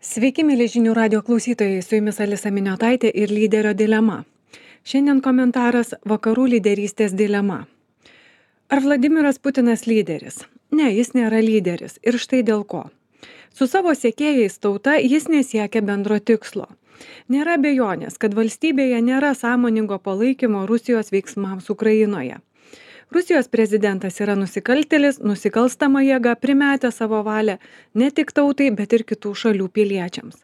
Sveiki, mėly žinių radio klausytojai, su jumis Alisa Miniotaitė ir lyderio dilema. Šiandien komentaras Vakarų lyderystės dilema. Ar Vladimiras Putinas lyderis? Ne, jis nėra lyderis ir štai dėl ko. Su savo sekėjais tauta jis nesiekia bendro tikslo. Nėra abejonės, kad valstybėje nėra sąmoningo palaikymo Rusijos veiksmams Ukrainoje. Rusijos prezidentas yra nusikaltėlis, nusikalstama jėga primetė savo valią ne tik tautai, bet ir kitų šalių piliečiams.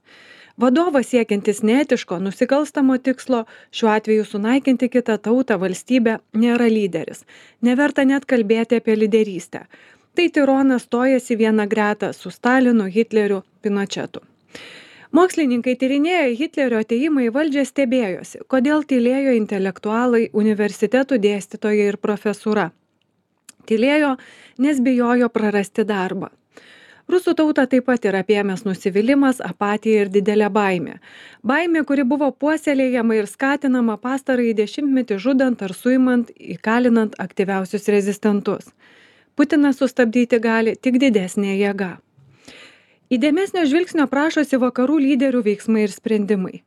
Vadovas siekiantis neetiško, nusikalstamo tikslo, šiuo atveju sunaikinti kitą tautą, valstybę, nėra lyderis. Neverta net kalbėti apie lyderystę. Tai tironas stojasi vieną gretą su Stalinu, Hitleriu, Pinochetu. Mokslininkai tyrinėję Hitlerio atėjimą į valdžią stebėjosi, kodėl tylėjo intelektualai, universitetų dėstytojai ir profesūra. Tylėjo, nes bijojo prarasti darbą. Rusų tautą taip pat yra apėmęs nusivylimas, apatija ir didelė baimė. Baimė, kuri buvo puoselėjama ir skatinama pastarąjį dešimtmetį žudant ar suimant, įkalinant aktyviausius rezistentus. Putiną sustabdyti gali tik didesnė jėga. Įdėmesnio žvilgsnio prašosi vakarų lyderių veiksmai ir sprendimai.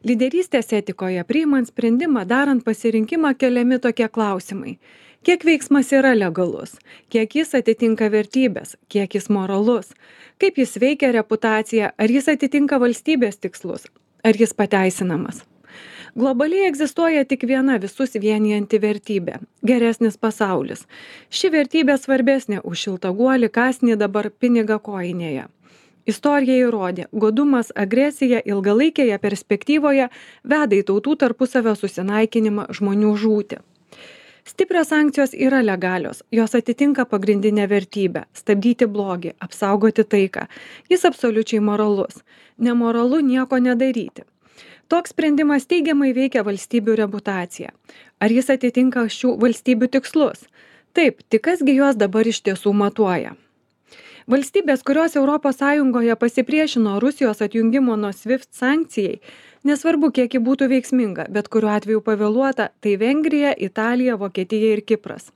Lyderystės etikoje priimant sprendimą, darant pasirinkimą keliami tokie klausimai. Kiek veiksmas yra legalus? Kiek jis atitinka vertybės? Kiek jis moralus? Kaip jis veikia reputaciją? Ar jis atitinka valstybės tikslus? Ar jis pateisinamas? Globaliai egzistuoja tik viena visus vienijanti vertybė – geresnis pasaulis. Ši vertybė svarbesnė už šiltaguolį kąsnį dabar pinigą kojinėje. Istorija įrodė, godumas, agresija ilgalaikėje perspektyvoje veda į tautų tarpusavio susinaikinimą, žmonių žūtį. Stiprios sankcijos yra legalios, jos atitinka pagrindinę vertybę – stabdyti blogį, apsaugoti taiką. Jis absoliučiai moralus. Nemoralu nieko nedaryti. Toks sprendimas teigiamai veikia valstybių reputaciją. Ar jis atitinka šių valstybių tikslus? Taip, tik kasgi juos dabar iš tiesų matuoja. Valstybės, kurios ES pasipriešino Rusijos atjungimo nuo SWIFT sankcijai, nesvarbu, kiek ji būtų veiksminga, bet kuriuo atveju pavėluota, tai Vengrija, Italija, Vokietija ir Kipras.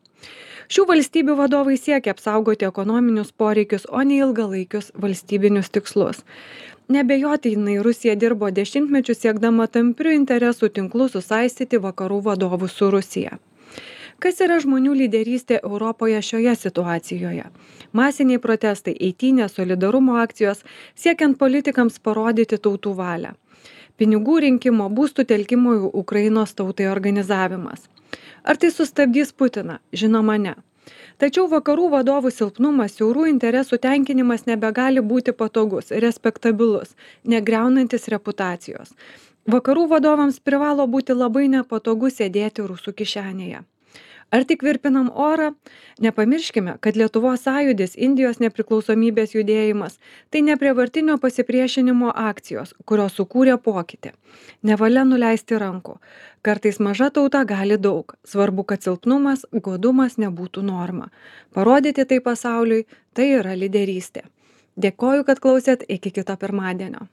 Šių valstybių vadovai siekia apsaugoti ekonominius poreikius, o ne ilgalaikius valstybinius tikslus. Nebejotinai Rusija dirbo dešimtmečius siekdama tamprių interesų tinklų susaistyti vakarų vadovus su Rusija. Kas yra žmonių lyderystė Europoje šioje situacijoje? Masiniai protestai, eitynės, solidarumo akcijos, siekiant politikams parodyti tautų valią. Pinigų rinkimo, būstų telkimo į Ukrainos tautai organizavimas. Ar tai sustabdys Putiną? Žinoma, ne. Tačiau vakarų vadovų silpnumas, siaurų interesų tenkinimas nebegali būti patogus, respektabilus, negriaunantis reputacijos. Vakarų vadovams privalo būti labai nepatogu sėdėti rusų kišenėje. Ar tik virpinam orą? Nepamirškime, kad Lietuvos sąjūdis, Indijos nepriklausomybės judėjimas – tai neprievartinio pasipriešinimo akcijos, kurios sukūrė pokytį. Nevalia nuleisti rankų. Kartais maža tauta gali daug. Svarbu, kad silpnumas, godumas nebūtų norma. Parodyti tai pasauliui – tai yra lyderystė. Dėkoju, kad klausėt, iki kito pirmadienio.